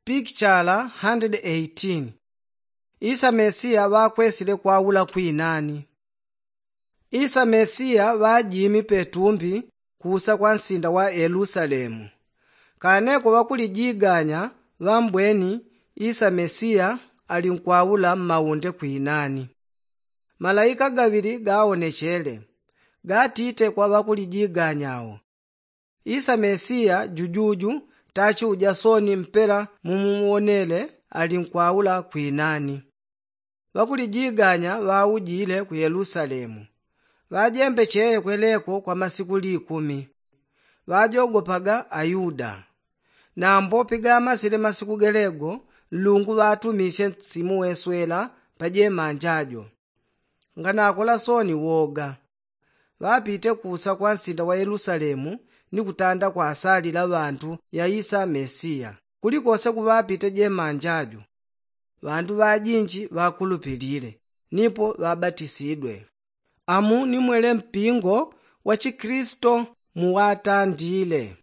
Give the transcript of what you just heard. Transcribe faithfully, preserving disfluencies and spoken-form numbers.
Pikichala hundred eighteen. Isa mesiya ŵakwesile kwaula kwinani? Isa mesiya ŵajimi petumbi kuusa kwa nsinda wa yelusalemu. Kaneko ŵakulijiganya ŵambweni isa mesiya ali nkwaula mmaunde kwinani. Malaika gaŵili gaonechele, gatite kwa ŵakulijiganya awo, isa mesiya jujuju tachiuja soni mpela mumuwonele ali nkwaula kwinani. Ŵakulijiganya ŵaujile ku yelusalemu. Ŵajembe cheye kweleko kwa masiku likumi. Ŵajogopaga ayuda. Nambo pigamasile masiku gelego, nlungu ŵatumisye nsimu weswela pa jemanja jo. Nganakola soni woga. Ŵapite kuusa kwa nsinda wa yelusalemu ni kutanda kwasalila ŵantu ya isa mesiya. Kulikose kuŵapite jemanja jo, ŵantu ŵajinji ŵakulupilile nipo ŵabatisidwe. Amu ni mwele mpingo wa chikristo muwatandile.